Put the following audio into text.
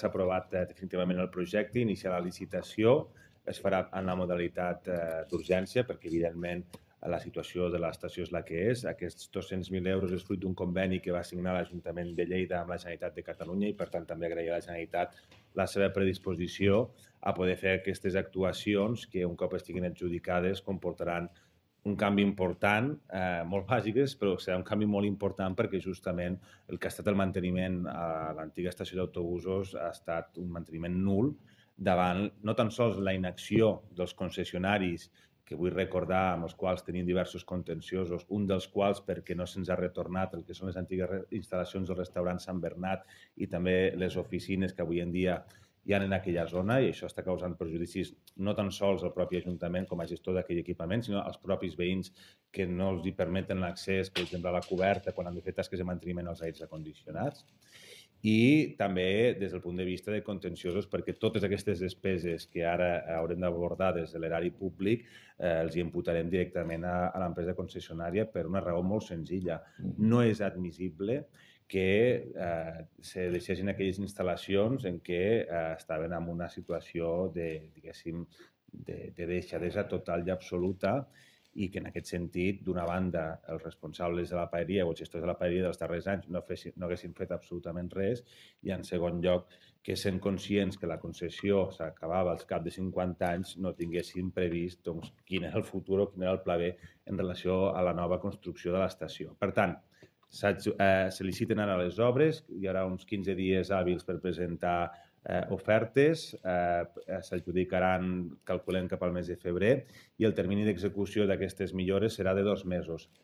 s'ha aprovat definitivament el projecte, iniciar la licitació, es farà en la modalitat d'urgència, perquè evidentment la situació de l'estació és la que és. Aquests 200.000 euros és fruit d'un conveni que va signar l'Ajuntament de Lleida amb la Generalitat de Catalunya i, per tant, també agrair a la Generalitat la seva predisposició a poder fer aquestes actuacions que, un cop estiguin adjudicades, comportaran un canvi important, molt bàsiques, però serà un canvi molt important perquè justament el que ha estat el manteniment a l'antiga estació d'autobusos ha estat un manteniment nul davant no tan sols la inacció dels concessionaris, que vull recordar, amb els quals tenim diversos contenciosos, un dels quals perquè no se'ns ha retornat el que són les antigues instal·lacions del restaurant Sant Bernat i també les oficines que avui en dia hi ha en aquella zona, i això està causant perjudicis no tan sols al propi Ajuntament com a gestor d'aquell equipament, sinó als propis veïns que no els hi permeten l'accés, per exemple, a la coberta quan han de fer tasques de manteniment als aires acondicionats. I també des del punt de vista de contenciosos, perquè totes aquestes despeses que ara haurem d'abordar des de l'erari públic els hi imputarem directament a l'empresa concessionària per una raó molt senzilla. No és admissible que se deixessin aquelles instal·lacions en què estaven en una situació de, diguéssim, de deixadesa total i absoluta, i que en aquest sentit, d'una banda, els responsables de la paeria o els gestors de la paeria dels darrers anys no haguessin fet absolutament res, i en segon lloc, que sent conscients que la concessió s'acabava als cap de 50 anys no tinguessin previst quin era el futur o quin era el pla B en relació a la nova construcció de l'estació. Per tant, se liciten ara les obres, hi haurà uns 15 dies hàbils per presentar ofertes, s'adjudicaran, calculem, cap al mes de febrer, i el termini d'execució d'aquestes millores serà de 2 mesos.